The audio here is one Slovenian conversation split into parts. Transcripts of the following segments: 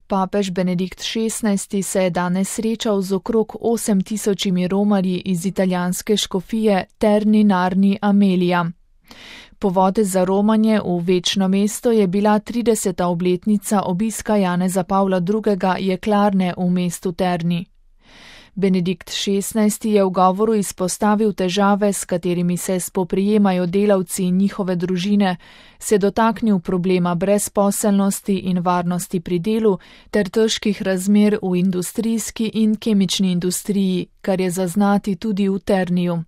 Papež Benedikt XVI se je danes srečal z okrog 8000 romarji iz italijanske škofije Terni Narni Amelia. Povod za romanje v večno mesto je bila 30. obletnica obiska Janeza Pavla II. Jeklarne v mestu Terni. Benedikt XVI je v govoru izpostavil težave, s katerimi se spoprijemajo delavci in njihove družine, se dotaknil problema brezposelnosti in varnosti pri delu ter težkih razmer v industrijski in kemični industriji, kar je zaznati tudi v Terniju.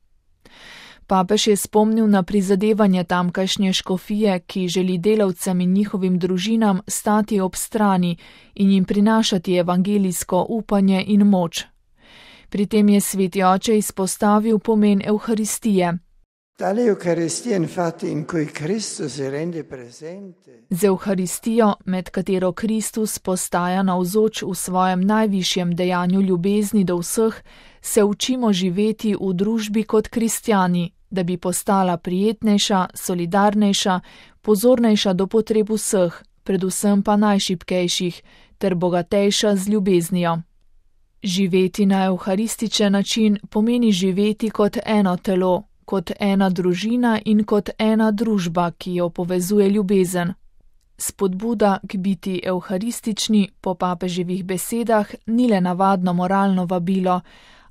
Papež je spomnil na prizadevanje tamkajšnje škofije, ki želi delavcem in njihovim družinam stati ob strani in jim prinašati evangelijsko upanje in moč. Pri tem je sveti oče izpostavil pomen Evharistije. Z Evharistijo, med katero Kristus postaja navzoč v svojem najvišjem dejanju ljubezni do vseh, se učimo živeti v družbi kot kristjani, da bi postala prijetnejša, solidarnejša, pozornejša do potreb vseh, predvsem pa najšibkejših, ter bogatejša z ljubeznijo. Živeti na evharističen način pomeni živeti kot eno telo, kot ena družina in kot ena družba, ki jo povezuje ljubezen. Spodbuda k biti evharistični po papeževih besedah ni le navadno moralno vabilo,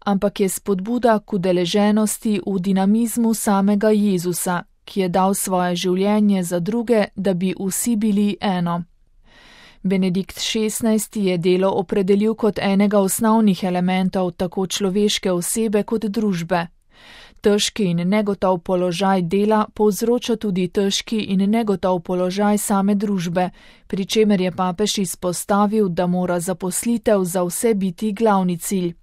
ampak je spodbuda k udeleženosti v dinamizmu samega Jezusa, ki je dal svoje življenje za druge, da bi vsi bili eno. Benedikt XVI je delo opredelil kot enega osnovnih elementov tako človeške osebe kot družbe. Težki in negotov položaj dela povzroča tudi težki in negotov položaj same družbe, pri čemer je papež izpostavil, da mora zaposlitev za vse biti glavni cilj.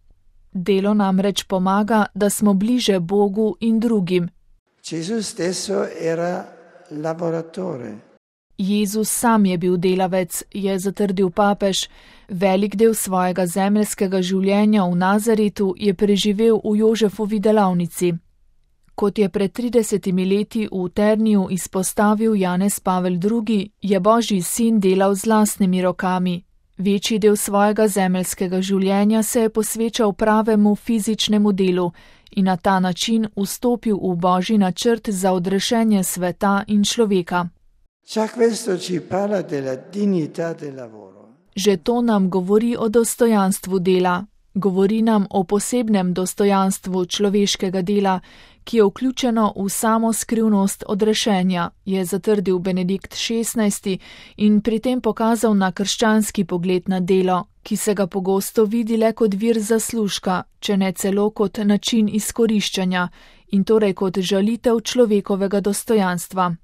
Delo namreč pomaga, da smo bliže Bogu in drugim. Jezus sam je bil delavec, je zatrdil papež. Velik del svojega zemeljskega življenja v Nazaretu je preživel v Jožefovi delavnici. Kot je pred 30 leti v Terniju izpostavil Janez Pavel II., je Božji sin delal z lastnimi rokami. Večji del svojega zemeljskega življenja se je posvečal pravemu fizičnemu delu in na ta način vstopil v Božji načrt za odrešenje sveta in človeka. Že to nam govori o dostojanstvu dela. Govori nam o posebnem dostojanstvu človeškega dela, ki je vključeno v samo skrivnost odrešenja, je zatrdil Benedikt XVI in pri tem pokazal na krščanski pogled na delo, ki se ga pogosto vidi le kot vir zaslužka, če ne celo kot način izkoriščanja in torej kot žalitev človekovega dostojanstva.